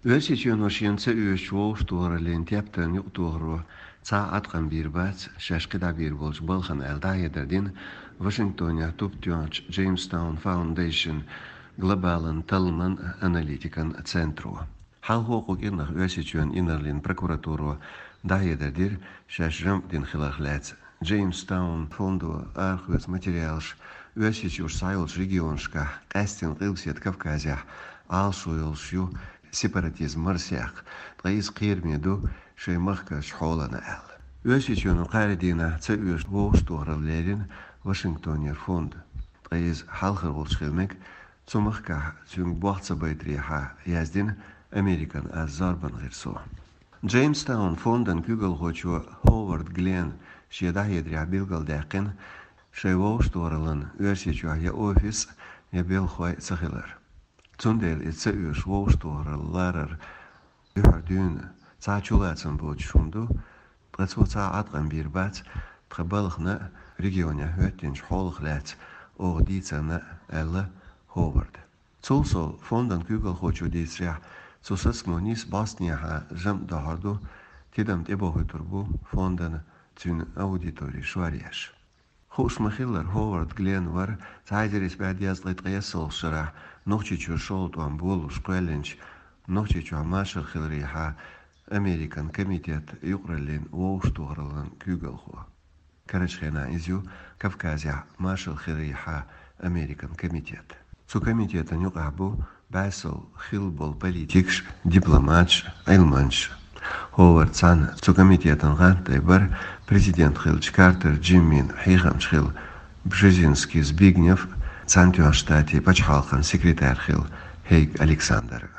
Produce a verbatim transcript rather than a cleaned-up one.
Оьрсийчоьно шена ца оьшучу вовшахтохараллин тептан юкъатохаро цхьа а Ӏаткъам бийр бац шаьш кхидӀа бийр болчу балхана аьлла, дӀахьедар дина Вашингтонехь туп тоьхначу Jamestown Foundation глобалан талламан аналитикан центро. Хьалхо кху кӀирнах Оьрсийчоьнан инарлин прокуратуро дӀахьедар дира, шаьш жамӀ дина хиларх лаьцна. Jamestown фондо арахоьцу материалаш Оьрсийчуьра схьайолчу регионашкахь, къаьсттина Къилбаседа Кавказехь, Ӏалашо йолуш ю сепаратизм марсаяккха, ткъа иза кхераме ду шайн махкарчу хьолана аьлла. Оьрсийчоьно кхаарин дийнахь ца оьшу вовшахтохаралла лерина Вашингтонера фонд, ткъа иза хьалхара волуш хила мега, цу махкахь цуьнга болх ца байтарехьа, яздина Американ аз зорбан гӀирсо. Джеймстаун фондан куьйгалхочо Ховард Глен шен дӀахьедарехь билгалдаьккхина шайн вовшахтохараллан Оьрсийчохь я офис, я белхахой ца хилар. Цундела иза ца оьшу вовшахтохаралла ларар дуьххьара дуьйна цхьа а чулацам боцуш хӀума ду, ткъа цо цхьа а Ӏаткъам бийр бац тхан балхана а, регионехь хӀоьттинчу хьолах лаьцна оха дийцарна а, аьлла Ховарда. Цул сов, фондан куьйгалхочо дийцарехь, цу сацамо нийса бӀостанехьа жамӀ дохьур ду, тидам тӀебохуьйтур бу фондан цуьнан аудитори шоръеш. Хууш ма-хиллара, Ховард Глен вара цхьа эзар исс бӀе дезткъе ткъайоьсналгӀачу шарахь Нохчийчуьра шолгӀа тӀом болалуш кхоьллинчу Нохчийчохь машар хиларехьа Американ комитет юкъараллин вовшахтохараллан куьйгалхо. Карарчу хенахь иза ю Кавказехь машар хиларехьа Американ комитет. Цу комитетан юкъахь бу бӀе сов хилла болу политикаш, дипломаташ, Ӏилманчаш. Ховард цхьаьна цу комитетан гӀантдой бара президент хиллачу Картер Джиммин хьехамча хилла Бжезинский Збигнев, Цхьаьнатоьхначу Штатийн пачхьалкхан секретарь хилла Хейг Александр.